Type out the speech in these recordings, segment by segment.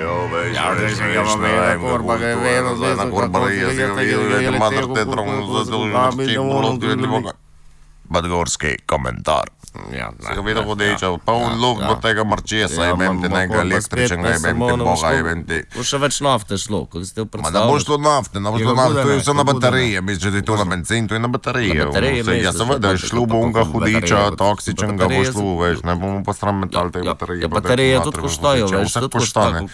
Ja, da se ga veda, kurba, ga je vedel, zdaj na kurbarija, je mater te trongo, zato Podgorski komentar. Se ga vidio hudića, pa on luk do tega marčesa, imam ti nekaj električnega, imam ti boga, imam ti... To še več nafte šlo, kot ste Ma ne boš to nafte, to je vse na baterije, misliš, da je to na benzin, to je na baterije. Ja seveda, šlo bo unga hudića, toksičnega bo šlo, veš, ne bomo pa stran metal te baterije. Ja, baterije tudi koštajo, veš, vse koštane.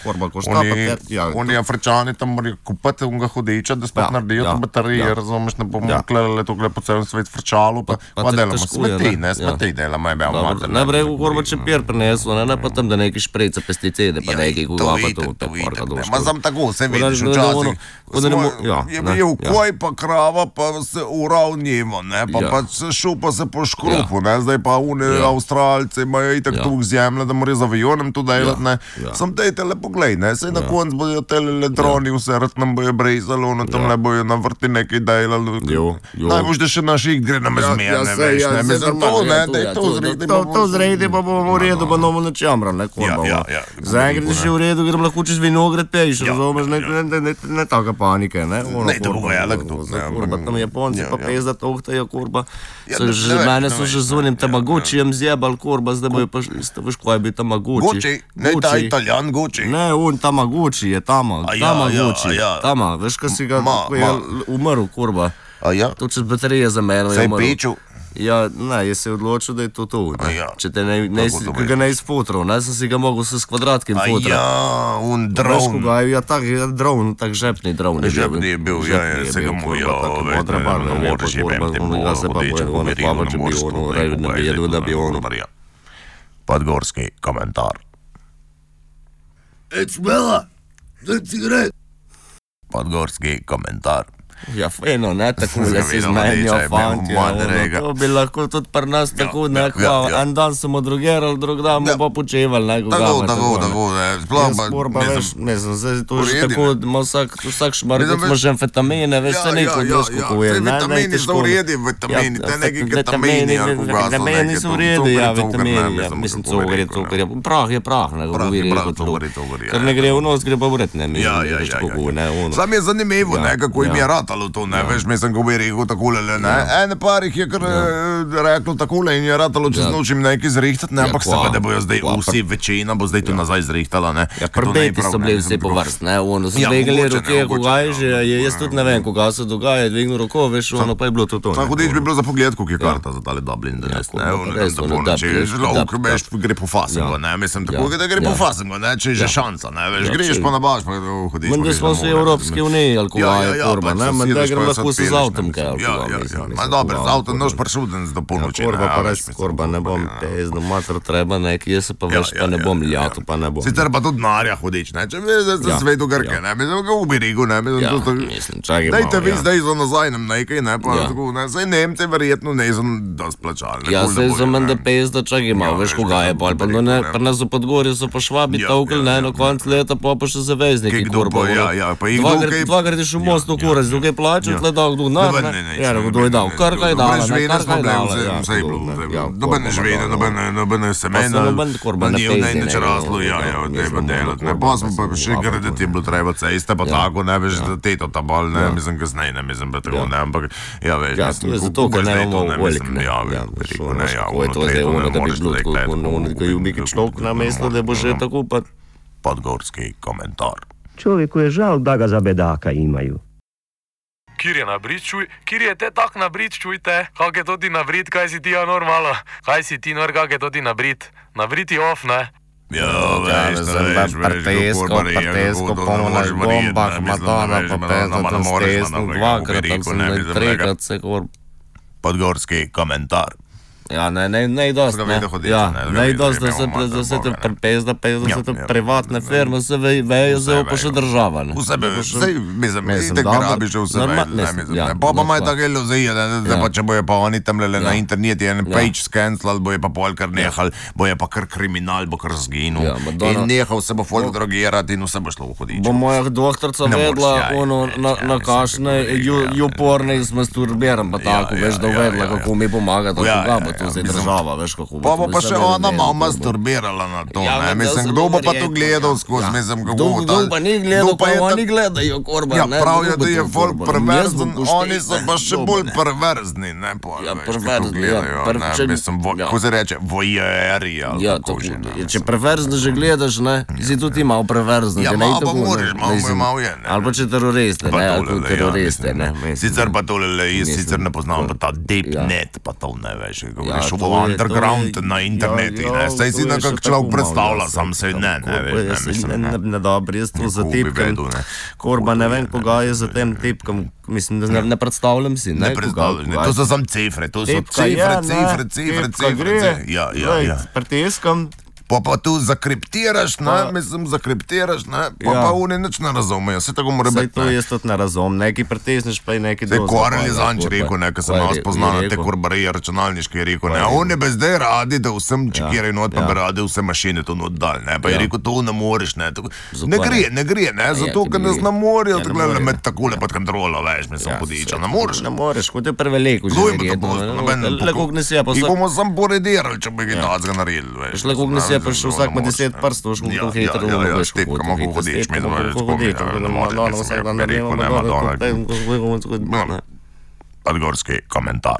Oni Afričani tam morajo kupati unga hudića, da spet naredijo te baterije, razumeš, ne bomo klelali tukaj po celem svet frčalo, pa delamo smeti, ne smeti delamo, je bil mater. Najprej v kurba čepir prineslo, ne pa tam, da neki šprejca pesticide, pa neki kuga pa to, te porka došlo. Ma sam tako, se vidiš včasih, je bil koj pa krava, pa se uravnimo, ne, pa se šupa se po škrupu, ne, zdaj pa oni Avstralci imajo itak tu zemlje, da morajo z avionem tu delati, ne, sam dejte le poglej, ne, sej na konc bojo tele droni vse rat nam bojo brezali, ono tam ne bojo na vrti nekaj delali, najbož, da še naš ig gre nam izmerne, veš, ne, mislim to, ne, dej to zredi, to zredi pa bomo v redu, pa nomo na čamra, ne, kurba, zdaj gre še v redu, grem lahko čez vinograd pejš, razumeš, ne taka panike, ne, ne, to bo velik to, ne, kurba, tam Japonci pa pezda tohtajo, kurba, mene so že z unim Tamagučijem zjebal, kurba, zdaj bojo pa, veš, kaj je bil Tamaguči? Gucci, ne ta Italijan Gucci. Ne, on Tamaguči je Tamaguči, Tama, veš, kaj si ga, ko je umrl, kurba, to čez baterije za meno je umrl. Se je pečil? Ja, ne, je se odločil, da je to to, če te ga ne izfotral, ne, sem si ga mogel s kvadratkim fotrati. Ja, un dron. Veš, ko ga je, ja, tak dron, tak žepni dron. Žepni je bil, ja, se ga mu, ja, ne moreš imeti bola, hudiča, pomerino, Podgorski komentar. Smela, zdaj cigaret. Podgorski komentar. Ja, feno, ne, tako da si zmenjo, fanti, to bi lahko tudi pri nas tako, ne, en dan smo drugerali, drug dan bomo pa počevali, ne, tako, sploh pa, mislim, zdaj to že tako, vsak šmar, kot smo že amfetamine, veš, se neko droško kuje, ne, vitamini so v redi, vitamini, te neki ketamini, vitamini so v redi, ja, vitamini, mislim, cukor je, prah je prah, ne, ker ne gre v nos, gre pa v red, ne, sam je zanimivo, ne, kako im je ratalo to, ne, veš, mislim, ko bi rekel takole, ne, ene parih je kar reklo takole in je ratalo čez noč im nekaj zrihtati, ne, ampak seveda bojo zdaj vsi, večina bo zdaj to nazaj zrihtala, ne. Ja, prbeti so bili vsi po vrst, ne, ono, so dvigali roke, koga je že, jaz tudi ne vem, koga se dogaja, dvignil roko, veš, ono pa je bilo to. Hudič bi bilo za pogled, koliko je karta za tale Dublin, da ne, ono, veš, gre po fasingu, ne, mislim, tako, da gre po fasingu, ne, če je že šanca, ne, veš, greš pa na baš, pa hudič. Menda smo v Evropski uniji, alkohol je korba, ne, menda grem lahko se z avtom kaj alkohol, mislim. Ma dobro, z avtom noš pršuden do polnoči, ne, korba pa res, korba, ne bom pezno, mater treba nekaj, jaz se pa veš, pa ne bom ljato, pa ne bom. Sicer pa tudi narja hudič, ne, če veš, za svetu Grke, ne, mislim, ga ubi Rigu, ne, mislim, čakaj malo, dajte vi zdaj za nazaj nam nekaj, ne, pa tako, ne, zdaj Nemce verjetno ne so dost plačali. Ja, zdaj za menda pezda, čakaj malo, veš, koga je pol, pa ne, pri nas v Podgorju so pa Švabi tavkali, ne, na konc leta pa še zavezniki, korba, dvakrat je šel most v kurac, drugaj plačal, tle dal kdo, kdo je dal, kar kaj dala, noben ne žvene, noben ne semena, ne neč razlo, treba delati, ne, pa smo pa še graditi je bilo treba ceste, pa tako, ne, veš, teto ta bol, ne, mislim, kasnej, ne, mislim, pa tako, ne, ampak, ja, veš, mislim, zato, ker ne imamo velik, ne, ko je to zdaj ono, da bi bilo tako, ono, ko je umiki človek na mesto, da bo že tako, pa... Podgorski komentar. Čovjeku je žal, da ga za bedaka imaju. Kjer je nabrit, čuj, kjer je te tak nabrit, čujte, kak je to ti nabrit, kaj si ti normalno, kaj si ti nor, kak je to ti nabrit, nabrit je off, ne? Ja, veš, Partesko, polno bombah, Madonna, pa pezno tam stesno, dvakrat, tam sem trikrat se kor... Podgorski komentar. Ja, ne dost, ne, ne dost, da se te prepezda, da se te privatne firme, vse vejo, zdaj pa še država, ne. Vse be, zdaj, mislim, itek grabi že vse vejo, ne, mislim, pa imajo tako iluzije, da pa če bojo pa oni tam na interneti en page scancelali, bojo pa pol kar nehali, bojo pa kar kriminal, bo kar zginul, in nehal se bo folk drogirati in vse bo šlo v hudiču. Bo moja doktorca vedla, ono, na kašne, juporne z masturbiram, pa tako, veš, da vedla, kako mi pomaga, tako ga bo to zdaj država, veš kako bo. Pa še ona malo masturbirala na to, ne? Mislim, kdo bo pa to gledal skozi, mislim, kako bo. Kdo pa ni gledal, pa oni gledajo, Korban. Ja, pravijo, da je folk perverzen, oni so pa še bolj perverzni, ne? Ja, perverzni, ja. Mislim, ko se reče, voyeri, ali kako že. Če perverzno že gledaš, ne? Si tudi malo perverzni. Ja, malo pa moraš, malo je, ne? Ali pa če teroriste, ne? Ali pa teroriste, ne? Sicer pa tole, jaz sicer ne poznam pa ta deepnet, pa to ne veš, kako veš, v underground na internetu, ne? Saj si nekak človek predstavlja, sam se ne, veš, ne? Ne dobro, jaz to za tipkam, Korban, ne vem, koga je za tem tipkam, mislim, da ne predstavljam si, ne? Ne predstavljam, to so sam cifre, to so cifre, ja. Pritiskam. Pa tu zakriptiraš, ne, mislim, zakriptiraš, ne, pa oni nič ne razumejo, se tako mora biti, ne. Saj to jaz tudi ne razumem, neki pritisneš, pa je neki dosti. Te Korel je zanč rekel, ne, ko sem malo spoznal te korbarije računalniške, je rekel, ne, oni bi zdaj radi, da vsem čekiraj not, pa bi radi vse mašine to not dal, ne, pa je rekel, to ne moreš, ne, ne gre, ne, zato, ker nas ne morajo takole med takole pod kontrolo, veš, mislim, podiča, ne moreš. Ne moreš, kot je preveliko že verjetno, jih bomo sam poredirali, če bi ga tazga naredili, prišel vsak med 10 prstov, šlo kako hitro veš, kako hodiš, mi smo Podgorski komentar.